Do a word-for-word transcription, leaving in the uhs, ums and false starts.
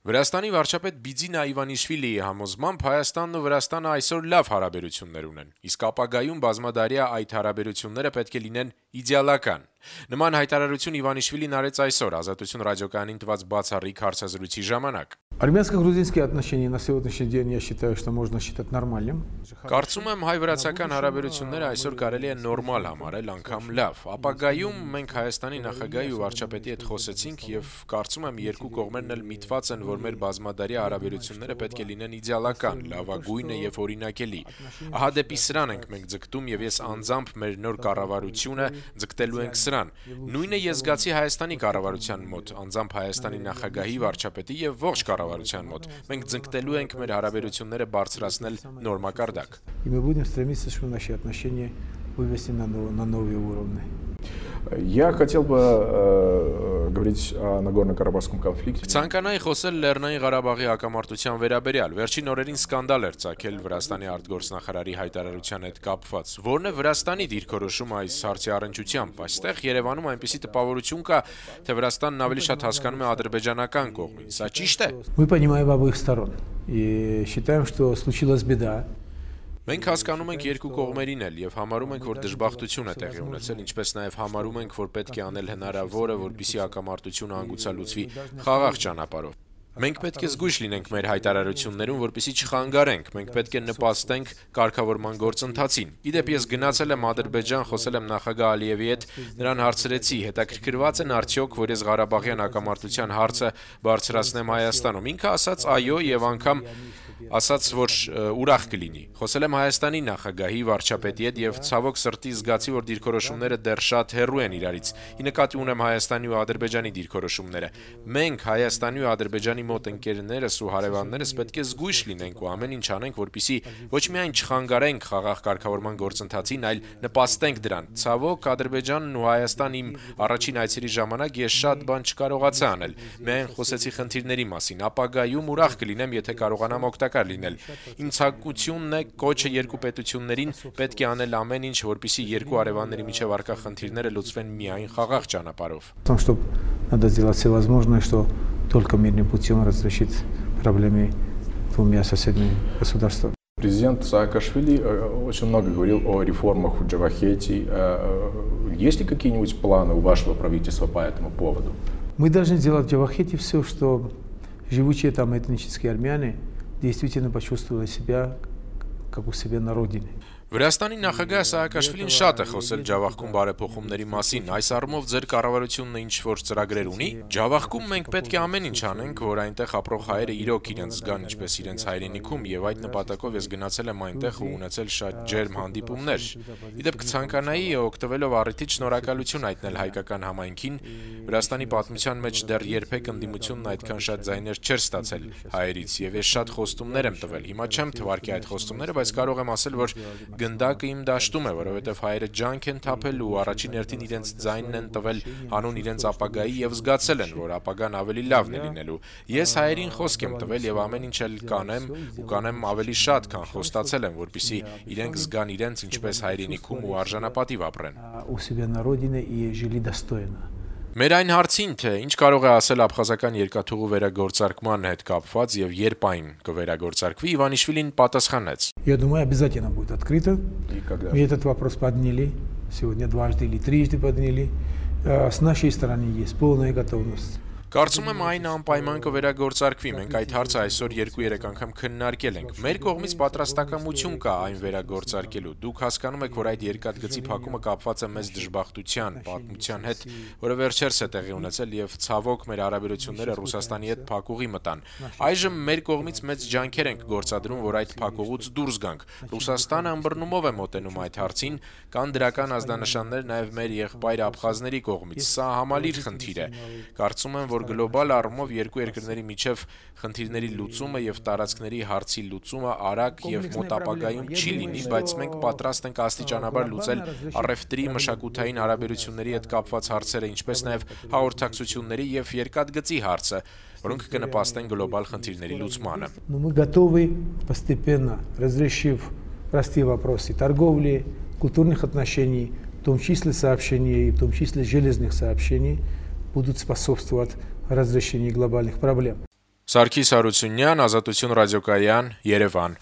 Վրաստանի վարչապետ Բիձինա Իվանիշվիլիի համոզմամբ Հայաստանն ու Վրաստանը այսօր լավ հարաբերություններ ունեն, իսկ ապագայում բազմադարյա այդ հարաբերությունները պետք է լինեն իդեալական։ Նման հայտարարություն Իվանիշվիլին արեց այսօր Ազատություն ռադիոկայանին տված բացառիկ հարցազրույցի ժամանակ։ Армянско-грузинские отношения на сегодняшний день я считаю, что можно считать нормальным. Կարծում եմ հայ-վրացական հարաբերությունները այսօր կարելի է նորմալ համարել, անգամ լավ։ Ապագայում մենք Հայաստանի նախագահի ու վարչապետի հետ խոսեցինք եւ կարծում եմ երկու կողմերն էլ միտված են, որ մեր բազմադարյա հարաբերությունները պետք է լինեն իդեալական, լավագույնը եւ օրինակելի։ Ահա դեպի սրան ենք մենք ձգտում եւ ես անձամբ մեր նոր կառավարությունը ձգտելու ենք սրան։ Նույնը ես զգացի Հայաստանի կառավարության մոտ, անձամբ Հայաստանի նախագահի, վարչապետի եւ ողջ կառավարության մոտ։ Մենք ձգտելու ենք մեր հարաբերությունները բարձրացնել նորմակարգ։ И мы будем стремиться, чтобы наши отношения вывести на на новые уровни. Я хотел бы э, говорить о Нагорно-Карабахском конфликте. Ցանկանայի խոսել Լեռնային Ղարաբաղի հակամարտության վերաբերյալ։ Վերջին օրերին սկանդալ էր ծագել Վրաստանի արտգործնախարարի հայտարարության հետ կապված։ Որն է Վրաստանի դիրքորոշումը այս հարցի առնչությամբ։ Այստեղ Երևանում այնպիսի տպավորություն կա, թե Վրաստանն ավելի շատ հասկանում է ադրբեջանական կողմին։ Սա ճիշտ է։ Мы понимаем обеих сторон и считаем, что случилась беда. Մենք հասկանում ենք երկու կողմերին էլ եւ համարում ենք, որ դժբախտություն է տեղի ունեցել, ինչպես նաեւ համարում ենք, որ պետք է անել հնարավորը, որպեսզի հակամարտությունը հանգուցալուծվի խաղաղ ճանապարհով։ Մենք պետք է զգույշ լինենք մեր հայտարարություններում, որպեսզի չխանգարենք, մենք պետք է նպաստենք կարգավորման գործընթացին։ Իդեպ ես գնացել եմ Ադրբեջան, խոսել եմ նախագահ Ալիևի հետ, նրան հարցրեցի, հետաքրքրված են արդյոք, որ ես Ղարաբաղյան հակամարտության հարցը բարձրացնեմ Հայաստանում։ Ինքը ասաց այո եւ անգամ ասաց, որ ուրախ կլինի։ Խոսել եմ Հայաստանի նախագահի, վարչապետի հետ եւ ցավոք սրտի զգացի, որ դիրքորոշումները դեռ շատ հեռու են իրարից։ Ի նկատի ունեմ Հայաստանի ու Ադրբեջանի դիրքորոշումները։ Մենք Հայաստանի ու Ադրբեջանի մոտ ընկերներս ու հարևաններս պետք է զգույշ լինենք ու ամեն ինչ անենք, որպեսզի ոչ միայն չխանգարենք խաղաղ կարգավորման գործընթացին, այլ նպաստենք դրան։ Ցավոք Ադրբեջանն ու Հայաստան իմ առաջին այցերի ժամանակ ես շատ բան չկարողացա անել։ Միայն խոսեցի խնդիրների մասին։ Ապագայում ուրախ կլինեմ, եթե կարողանամ օգտակար լինել։ Իմ ցանկությունն է կոչը երկու պետություններին պետք է անել ամեն ինչ, որպեսզի երկու հարևանների միջև առկա խնդիրները լուծվեն միայն խաղաղ ճանապարհով։ Потому что надо сделать все возможное, что только мирным путем разрешить проблемы двумя соседними государствами. Президент Саакашвили очень много говорил о реформах в Джавахете. Есть ли какие-нибудь планы у вашего правительства по этому поводу? Мы должны сделать в Джавахете все, что живущие там этнические армяне действительно почувствовали себя как у себя на родине. Վրաստանի նախագահ Սաակաշվիլին շատ է խոսել Ջավախքում բարեփոխումների մասին։ Այս առումով ձեր կառավարությունը ինչ որ ծրագրեր ունի։ Ջավախքում մենք պետք է ամեն ինչ անենք, որ այնտեղ ապրող հայերը իրոք իրենց զգան ինչպես իրենց հայրենիքում, եւ այդ նպատակով ես գնացել եմ այնտեղ ու ունեցել շատ ջերմ հանդիպումներ։ Իդեպ կցանկանայի օգտվելով առիթից շնորհակալություն հայտնել հայկական համայնքին։ Վրաստանի պատմության մեջ դեռ երբեք ընդդիմությունն այդքան շատ ձայներ չէր ստացել հայերից, եւ ես շատ խոստումներ եմ տվել։ Հիմա չեմ թվարկի այդ խոստումները, բայց կարող եմ ասել, որ գնդակը իմ դաշտում է, որովհետև հայերը ջանք են թափել ու առաջին հերթին իրենց ձայնն են տվել հանուն իրենց ապագայի եւ զգացել են, որ ապագան ավելի լավն է լինելու։ Ես հայերին խոսք եմ տվել եւ ամեն ինչ էլ կանեմ ու կանեմ ավելի շատ, քան խոստացել եմ, որպեսզի իրենք զգան իրենց ինչպես հայրենիքում ու արժանապատիվ ապրեն։ У себя на родине и жили достойно. Մեր այն հարցին, թե ինչ կարող է ասել աբխազական երկաթուղու վերագործարկման հետ կապված եւ երբ այն կվերագործարկվի, Իվանիշվիլին պատասխանեց. Я думаю, обязательно будет открыто. Мы этот вопрос подняли. Сегодня дважды или трижды подняли. С нашей стороны есть полная готовность. Կարծում եմ այն անպայման կվերագործարկվի։ Մենք այդ հարցը այսօր երկու-երեք անգամ քննարկել ենք։ Մեր կողմից պատրաստակամություն կա այն վերագործարկելու։ Դուք հասկանում եք, որ այդ երկաթգծի փակումը կապված է մեծ դժբախտության, պատմության հետ, որը վերջերս է տեղի ունեցել եւ ցավոք մեր հարաբերությունները Ռուսաստանի հետ փակուղի մտան։ Այժմ մեր կողմից մեծ ջանքեր ենք գործադրում, որ այդ փակուղուց դուրս գանք։ Ռուսաստանը ըմբռնումով է մոտենում այդ հարցին, կան դրական ազդանշաններ նաեւ մեր եղբայր աբխազների կողմից։ Սա համալիր խնդիր է։ Կարծում եմ, որ գլոբալ առումով երկու երկրների միջև խնդիրների լուծումը եւ տարածքների հարցի լուծումը արագ եւ մոտ ապագայում չի լինի, բայց մենք պատրաստ ենք աստիճանաբար լուծել առևտրի, մշակութային հարաբերությունների հետ կապված հարցերը, ինչպես նաեւ հաղորդակցությունների եւ երկաթգծի հարցը, որոնք կնպաստեն գլոբալ խնդիրների լուծմանը։ Мы готовы постепенно, разрешив простые вопросы торговли, культурных отношений, в том числе сообщений, в том числе железных сообщений, будут способствовать разрешению глобальных проблем. Սարգիս Հարությունյան, Ազատություն ռադիոկայան, Երևան։